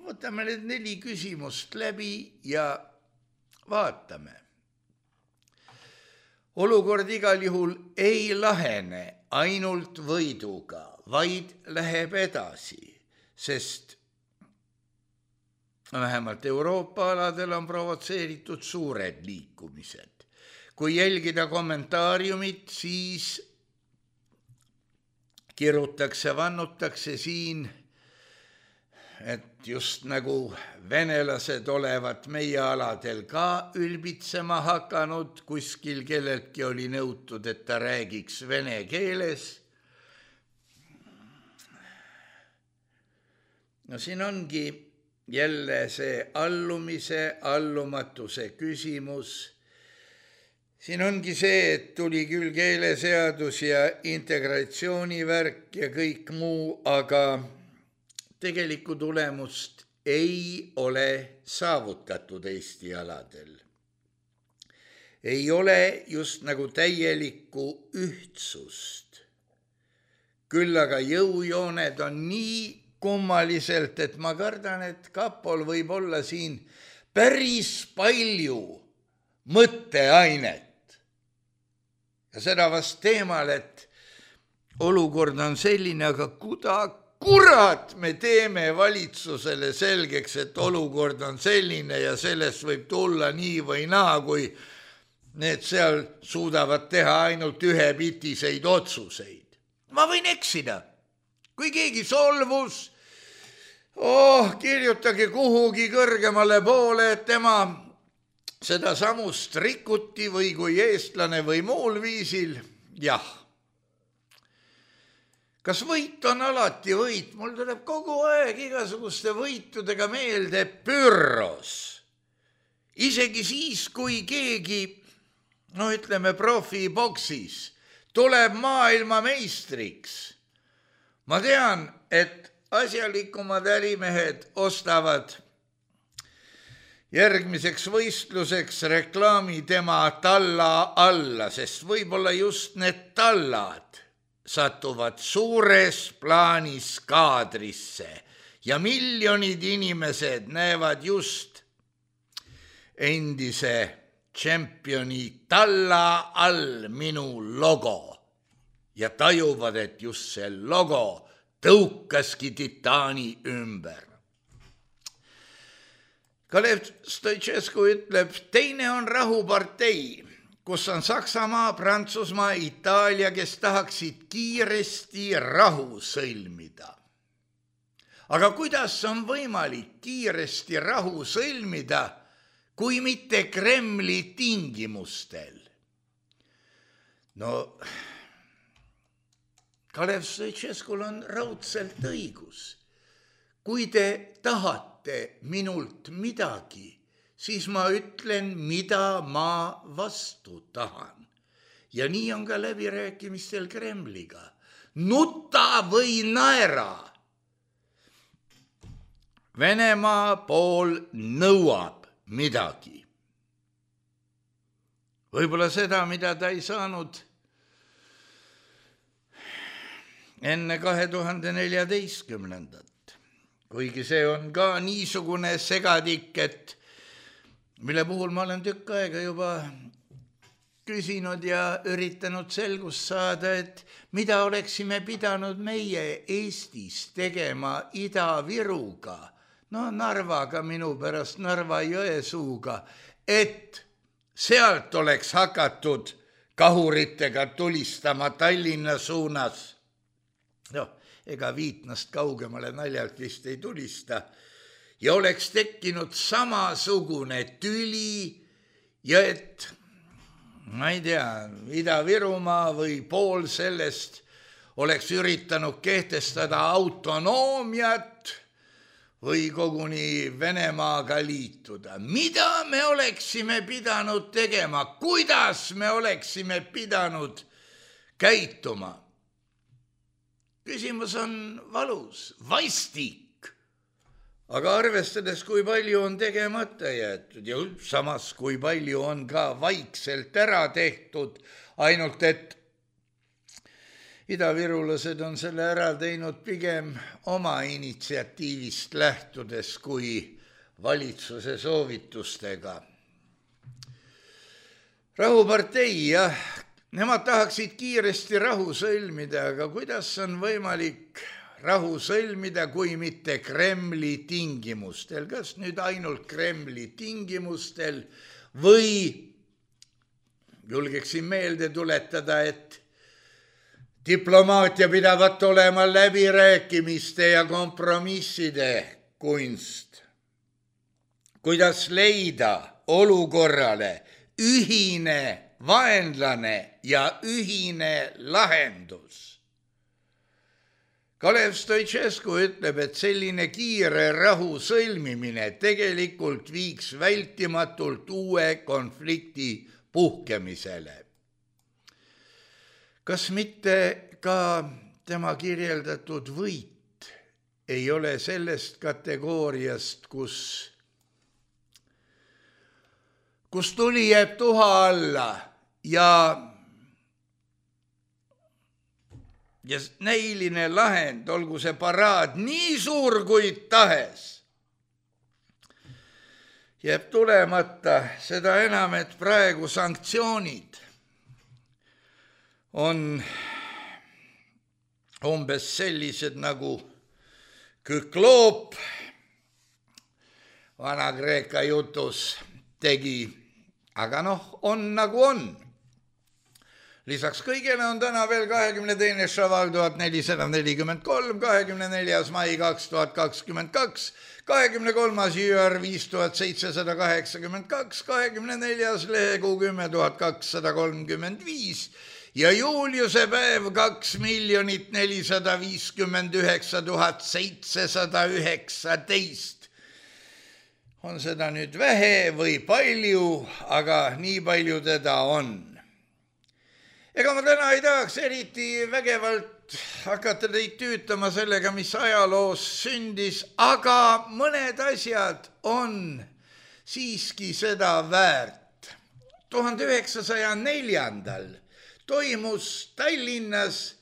Võtame need 4 küsimust läbi ja vaatame. Olukord igal juhul ei lahene ainult võiduga, vaid läheb edasi, sest vähemalt Euroopa aladel on provotseeritud suured liikumised. Kui jälgida kommentaariumit, siis kirutakse, vannutakse siin, et just nagu venelased olevat meie aladel ka ülbitsema hakanud, kuskil kelleltki oli nõutud, et ta räägiks vene keeles. No siin ongi jälle see allumise, allumatuse küsimus. Siin ongi see, et tuli küll keeleseadus ja integratsioonivärk ja kõik muu, aga tegelikku tulemust ei ole saavutatud Eesti aladel. Ei ole just nagu täielikku ühtsust. Küll aga jõujooned on nii kummaliselt, et ma kardan, et kapol võib olla siin päris palju mõtteainet. Ja seda vast teemal, et olukord on selline, aga kurat me teeme valitsusele selgeks, et olukord on selline ja sellest võib tulla nii või naa, kui need seal suudavad teha ainult ühepitiseid otsuseid. Ma võin eksida. Kui keegi solvus, kirjutage kuhugi kõrgemale poole, et tema seda samust rikuti või kui eestlane või muul viisil, jah. Kas võit on alati võit? Mul tuleb kogu aeg igasuguste võitudega meelde Pyrrhos. Isegi siis, kui keegi, ütleme profiboksis, tuleb maailmameistriks. Ma tean, et asjalikumad ärimehed ostavad järgmiseks võistluseks reklaami tema talla alla, sest võib-olla just need tallad satuvad suures plaanis kaadrisse ja miljonid inimesed näevad just endise tšempioni talla all minu logo ja tajuvad, et just see logo tõukaski titaani ümber. Kalev Stoicescu ütleb, teine on rahupartei, kus on Saksamaa, Prantsusmaa, Itaalia, kes tahaksid kiiresti rahu sõlmida. Aga kuidas on võimalik kiiresti rahu sõlmida, kui mitte Kremli tingimustel? Kalev Stoicescul on raudselt õigus. Kui te tahate minult midagi, siis ma ütlen, mida ma vastu tahan. Ja nii on ka läbirääkimistel Kremliga. Nuta või naera. Venemaa pool nõuab midagi. Võib-olla seda, mida ta ei saanud enne 2014. Kuigi see on ka niisugune segadik, et mille puhul ma olen tükk aega juba küsinud ja üritanud selgust saada, et mida oleksime pidanud meie Eestis tegema Ida-Viruga, no Narvaga minu pärast, Narva-Jõesuuga, et sealt oleks hakatud kahuritega tulistama Tallinna suunas. No, ega Viitnast kaugemale naljalt vist ei tulista. Ja oleks tekkinud samasugune tüli ja et, ma ei tea, Ida-Virumaa või pool sellest oleks üritanud kehtestada autonoomiat või koguni Venemaaga liituda. Mida me oleksime pidanud tegema? Kuidas me oleksime pidanud käituma? Küsimus on valus, vastik. Aga arvestades, kui palju on tegemata jäetud ja samas, kui palju on ka vaikselt ära tehtud, ainult et idavirulased on selle ära teinud pigem oma initsiatiivist lähtudes kui valitsuse soovitustega. Rahupartei, jah, nemad tahaksid kiiresti rahu sõlmida, aga kuidas on võimalik rahu sõlmida, kui mitte Kremli tingimustel? Kas nüüd ainult Kremli tingimustel või julgeksin meelde tuletada, et diplomaatia pidavat olema läbirääkimiste ja kompromisside kunst. Kuidas leida olukorrale ühine vaenlane ja ühine lahendus? Kalev Stoicescu ütleb, et selline kiire rahu sõlmimine tegelikult viiks vältimatult uue konflikti puhkemisele. Kas mitte ka tema kirjeldatud võit ei ole sellest kategooriast, kus tuli jääb tuha alla ja näiline lahend, olgu see paraad nii suur kui tahes, jääb tulemata, seda enam, et praegu sanktsioonid on umbes sellised nagu Kükloop Vana-Kreeka jutus tegi, aga on nagu on. Lisaks kõigele on täna veel 22. šaval 1443, 24. mai 2022, 23. jüär 5782, 24. lehekuu 10.235 ja Juliuse päev 2,459,719. On seda nüüd vähe või palju, aga nii palju teda on. Ega ma täna ei tahaks eriti vägevalt hakata teid tüütama sellega, mis ajaloos sündis, aga mõned asjad on siiski seda väärt. 1904. toimus Tallinnas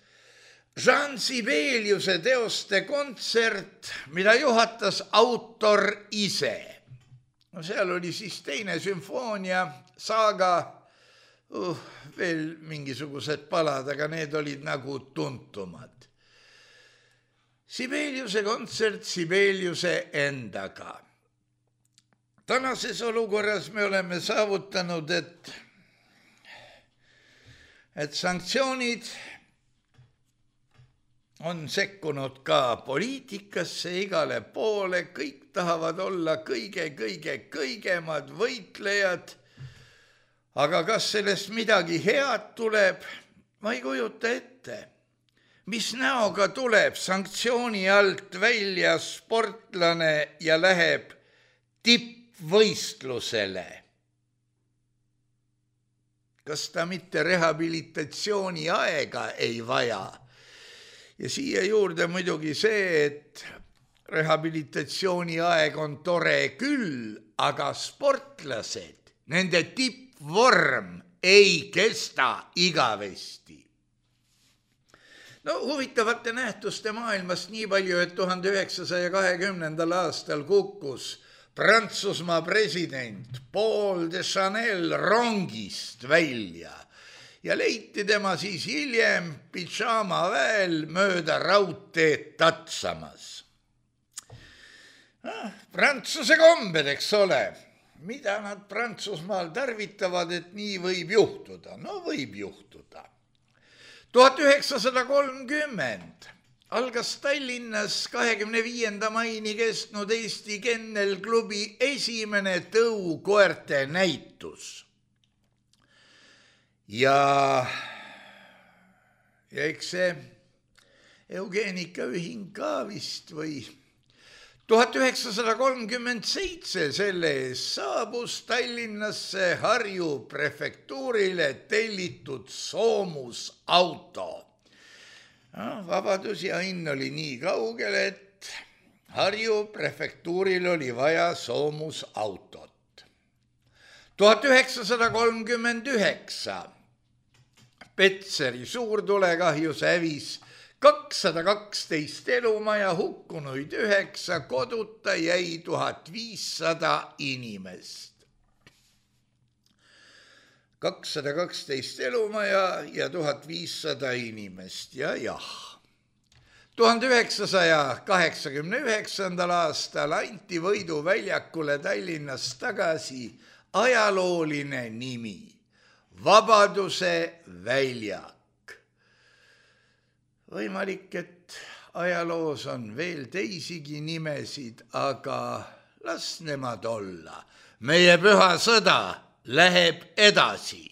Jean Sibeliuse teoste kontsert, mida juhatas autor ise. No seal oli siis teine sümfoonia, saaga, veel mingisugused palad, aga need olid nagu tuntumad. Sibeliuse kontsert Sibeliuse endaga. Tänases olukorras me oleme saavutanud, et sanktsioonid on sekkunud ka poliitikasse igale poole, kõik tahavad olla kõigemad võitlejad. Aga kas sellest midagi head tuleb? Ma ei kujuta ette. Mis näoga tuleb sanktsiooni alt välja sportlane ja läheb tippvõistlusele? Kas ta mitte rehabilitatsiooni aega ei vaja? Ja siia juurde muidugi see, et rehabilitatsiooniaeg on tore küll, aga sportlased, nende tippvorm ei kesta igavesti. No huvitavate nähtuste maailmast nii palju, et 1920. aastal kukkus Prantsusmaa president Paul de Chanel rongist välja ja leiti tema siis hiljem pidžaamaväel mööda raudteed tatsamas. Prantsuse kombed, eks ole, mida nad Prantsusmaal tarvitavad, et nii võib juhtuda? No võib juhtuda. 1930 algas Tallinnas 25. maini kestnud Eesti Kennelklubi esimene tõukoerte näitus. Ja eks see Eugeenikaühing ka vist või 1937 selle eest saabus Tallinnasse Harju prefektuurile tellitud soomusauto. Vabadus ja õnn oli nii kaugel, et Harju prefektuuril oli vaja soomusautot. 1939 Petseri suurtulekahjus hävis 212 elumaja, hukkunuid 9, koduta jäi 1500 inimest. 212 elumaja ja 1500 inimest ja jah. 1989. aastal anti Võidu väljakule Tallinnas tagasi ajalooline nimi, Vabaduse väljak. Võimalik, et ajaloos on veel teisigi nimesid, aga las nemad olla. Meie püha sõda läheb edasi.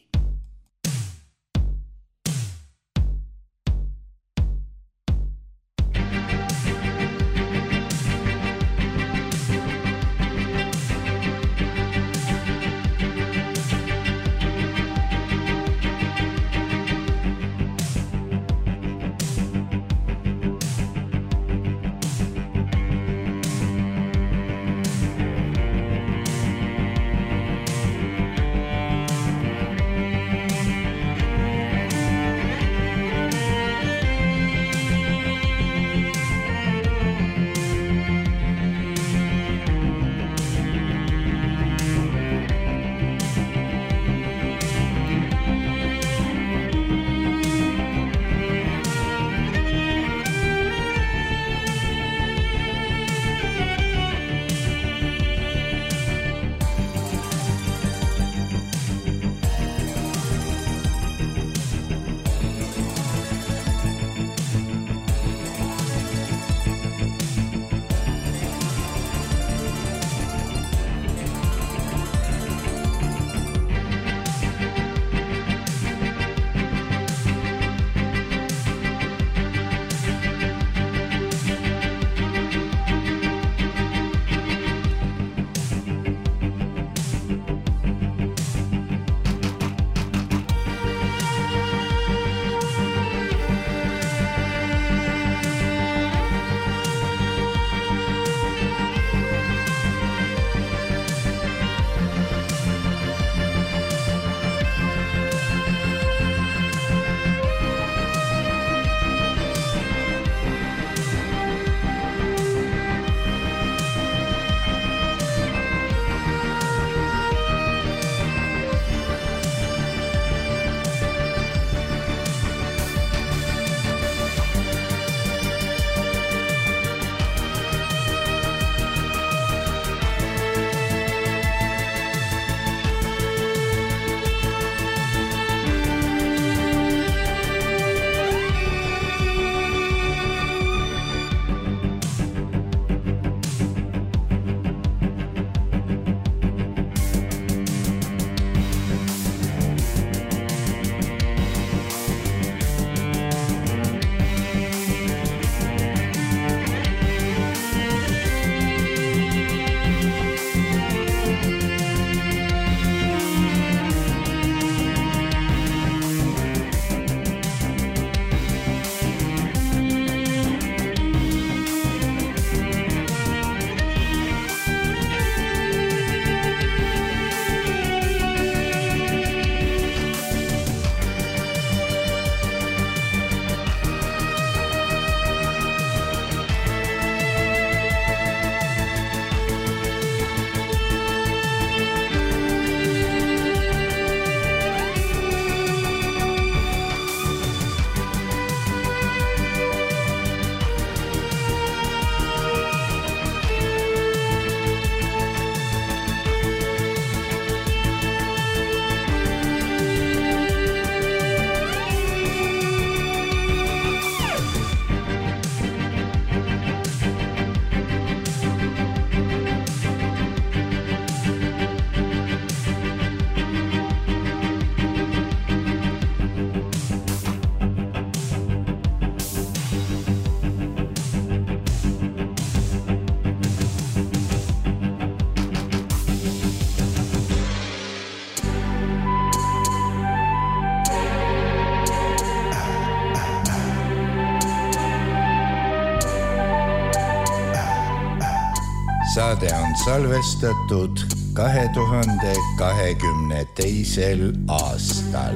saade on salvestatud 2022. aastal.